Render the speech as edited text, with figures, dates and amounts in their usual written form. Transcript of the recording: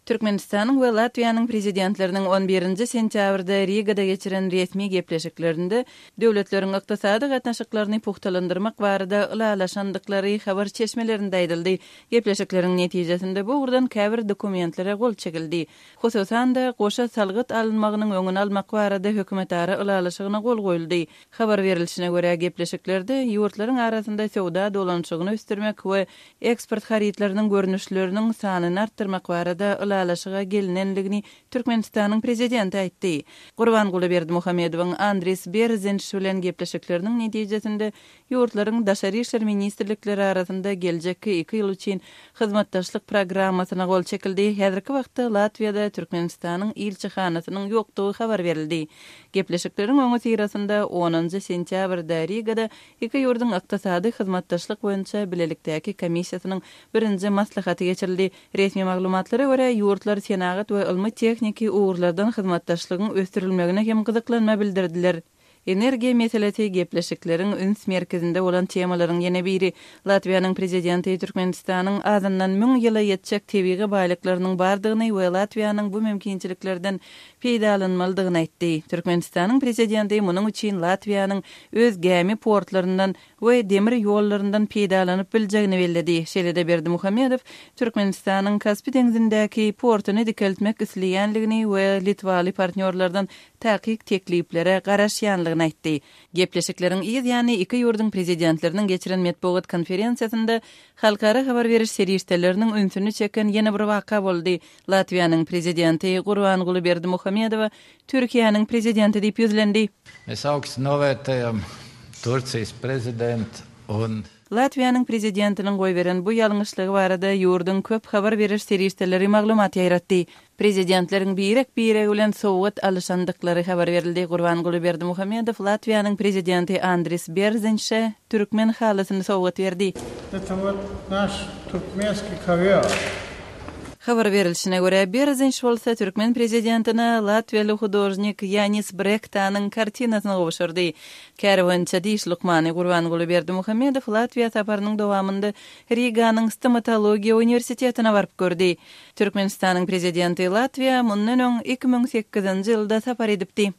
Türkmenistanyň we Latwiýanyň Prezidentleriniň on birinji sentýabrda Rigada geçiren resmi gepleşiklerinde döwletleriň ykdysady gatnaşyklaryny pugtalandyrmak barada ylalaşandyklary habar çeşmelerinde aýdyldy. Gepleşikleriň netijesinde bu ugurdan käbir dokumentlere gol çekildi. Hususan-da, goşa salgyt alynmagynyň öňüni almak barada hökümetara ylalaşygyna gol goýuldy. Habar berilişine görä, gepleşiklerde ýurtlaryň arasynda söwda dolanyşygyny ösdürmek we eksport harytlarynyň görnüşleriniň sanyny artdyrmak barada ylalaşyga gelinendigini Türkmenistanyň Prezidenti aýtdy. Gurbanguly Berdimuhamedowyň Andris Berzinş bilen gepleşikleriniň netijesinde ýurtlaryň Daşary işler ministrlikleri arasynda geljekki iki ýyl üçin hyzmatdaşlyk programmasyna gol çekildi. Häzirki wagtda Latwiýada Türkmenistanyň ilçihanasynyň ýokdugy habar berildi. Gepleşikleriň öňüsyrasynda onunjy sentýabrda Rigada iki ýurduň ykdysady hyzmatdaşlyk boýunça bilelikdäki komissiýasynyň birinji maslahaty geçirildi. Resmi maglumatlara görä, ýurtlar senagat we ylmy-tehniki ugurlardan hyzmatdaşlygyň ösdürilmegine hem gyzyklanma bildirdiler. Energiýa meselesi gepleşikleriň üns merkezinde bolan temalaryň ýene biri. Latwiýanyň Prezidenti Türkmenistanyň azyndan müň ýyla ýetjek tebigy baýlyklarynyň bardygyny we Latwiýanyň bu mümkinçiliklerden peýdalanmalydygyny aýtdy. Türkmenistanyň Prezidenti munuň üçin Latwiýanyň öz gämi portlaryndan we demir ýollaryndan peýdalanyp biljegini belledi. Şeýle-de Berdimuhamedow Türkmenistanyň Kaspi deňzindäki portuny dikeltmek isleýänligini we litwaly partnýorlardan takyk tekliplere garaşýanlygyny aýtdy. Gepleşikleriň yz ýany iki ýurduň Prezidentleriniň geçiren metbugat konferensiýasynda halkara habar beriş serişdeleriniň ünsüni çeken ýene bir waka boldy. Latwiýanyň Prezidenti Gurbanguly Berdimuhamedowa Türkiýäniň Prezidenti diýip ýüzlendi. Mēs augstu novērtējam Turcijas prezident un. Latwiýanyň Prezidentiniň goýberen bu ýalňyşlygy barada ýurduň köp habar beriş serişdeleri maglumat ýaýratdy. Prezidentleriň birek-biregi bilen sowgat alyşandyklary habar berildi. Gurbanguly Berdimuhamedow Latwiýanyň Prezidenti Andris Berzinşe türkmen halysyny sowgat berdi. Eta wot naş turkmenskiý kowýor. Habar berilşine görä, Berzinş bolsa türkmen prezidentine latwiýaly hudožnik Ýanis Brektanyň kartinasyny gowşurdy. Käri boýunça diş lukmany Gurbanguly Berdimuhamedow Latwiýa saparynyň dowamynda Riganyň Stomatologiýa uniwersitetine baryp gördi. Türkmenistanyň Prezidenti Latwiýa mundan öň 2008-nji ýylda sapar edipdi.